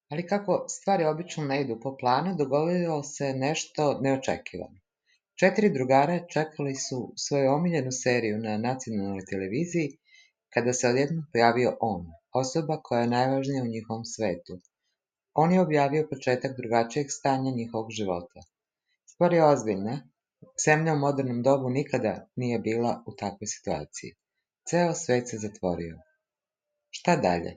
Ali kako stvari obično ne idu po planu, dogodilo se nešto neočekivano. 4 drugara čekali su svoju omiljenu seriju na nacionalnoj televiziji kada se odjednom pojavio on, osoba koja je najvažnija u njihovom svetu. On je objavio početak drugačijeg stanja njihovog života. Stvar je ozbiljna. Zemlja u modernom dobu nikada nije bila u takvoj situaciji. Ceo svet se zatvorio. Šta dalje?